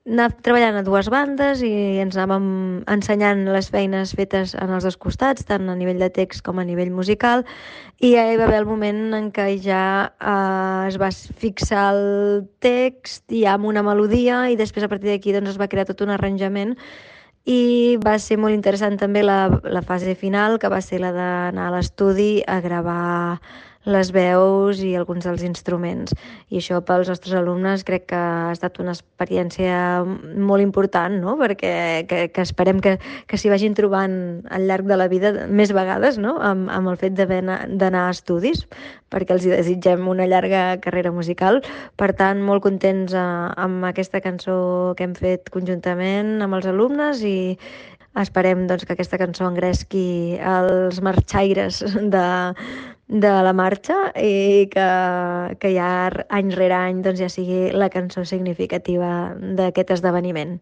anar treballant a dues bandes i ens anàvem ensenyant les feines fetes en els dos costats, tant a nivell de text com a nivell musical, i ja hi va haver el moment en què ja es va fixar el text i amb una melodia, i després a partir d'aquí doncs, es va crear tot un arranjament, i va ser molt interessant també la fase final, que va ser la d'anar a l'estudi a gravar les veus i alguns dels instruments. I això pels nostres alumnes crec que ha estat una experiència molt important, no? Perquè que esperem que s'hi vagin trobant al llarg de la vida més vegades, no? Amb el fet d'anar a estudis, perquè els hi desitgem una llarga carrera musical. Per tant, molt contents amb aquesta cançó que hem fet conjuntament amb els alumnes, i esperem doncs, que aquesta cançó engresqui els marxaires de la marxa, i que ja any rere any doncs, ja sigui la cançó significativa d'aquest esdeveniment.